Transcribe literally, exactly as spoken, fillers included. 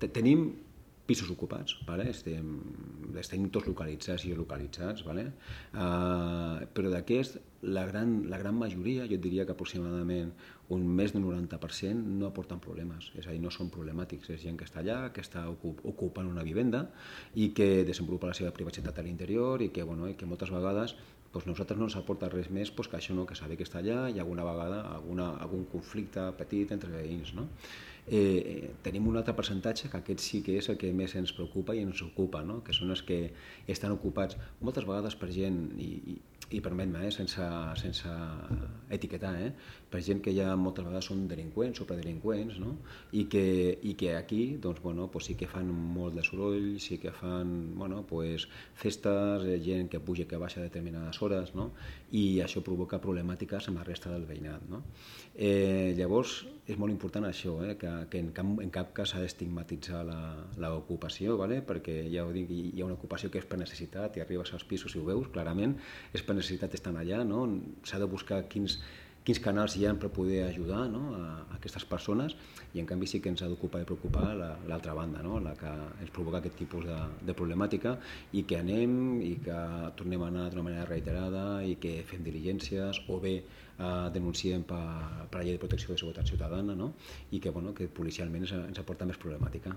tenim pisos ocupats, vale? estem, estem tots localitzats i geolocalitzats, vale? uh, però d'aquest, la gran, la gran majoria, jo et diria que aproximadament un més del noranta per cent no aporten problemes, és a dir, no són problemàtics, és gent que està allà, que està ocupant una vivenda i que desenvolupa la seva privacitat a l'interior i que, bueno, i que moltes vegades doncs nosaltres no ens aporta res més doncs que això, no? Que saber que està allà i alguna vegada alguna, algun conflicte petit entre veïns, no? Eh, tenim un altre percentatge que aquest sí que és el que més ens preocupa i ens ocupa, no? Que són els que estan ocupats moltes vegades per gent, i, i, i permet-me, eh, sense, sense etiquetar, eh, per gent que ja moltes vegades són delinqüents o predelinqüents, no? I, que, i que aquí doncs, bueno, doncs sí que fan molt de soroll, sí que fan bueno, doncs festes, eh, gent que puja i que baixa a determinades hores, no? I això provoca problemàtiques amb la resta del veïnat, no? Eh, llavors és molt important això, eh, que, que en, cap, en cap cas s'ha d'estigmatitzar l'ocupació, ¿vale? Perquè ja ho dic, hi ha una ocupació que és per necessitat i arribes als pisos i ho veus clarament, és per necessitat estar allà, no? S'ha de buscar quins, quins canals hi ha per poder ajudar, no? a, a aquestes persones, i en canvi sí que ens ha d'ocupar i preocupar l'altra la, banda, no? La que ens provoca aquest tipus de, de problemàtica, i que anem i que tornem a anar d'una manera reiterada i que fem diligències o bé eh, denunciem per, per la llei de protecció de seguretat ciutadana, no? I que, bueno, que policialment ens, ens aporta més problemàtica.